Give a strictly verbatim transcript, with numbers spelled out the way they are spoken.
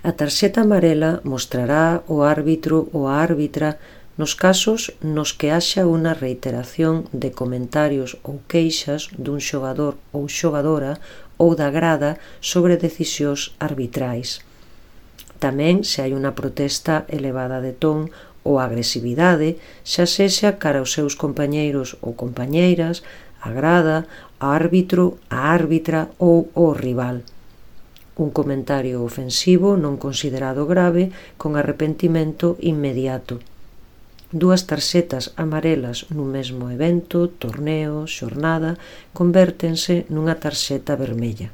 A tarxeta amarela mostrará o árbitro ou a árbitra nos casos nos que haxa unha reiteración de comentarios ou queixas dun xogador ou xogadora ou da grada sobre decisións arbitrais. Tamén se hai unha protesta elevada de ton ou agresividade, xa sexa cara aos seus compañeiros ou compañeiras, a grada, o árbitro, a árbitra ou o rival. Un comentario ofensivo non considerado grave con arrepentimento inmediato. Dúas tarxetas amarelas nun mesmo evento, torneo, xornada, convértense nunha tarxeta vermella.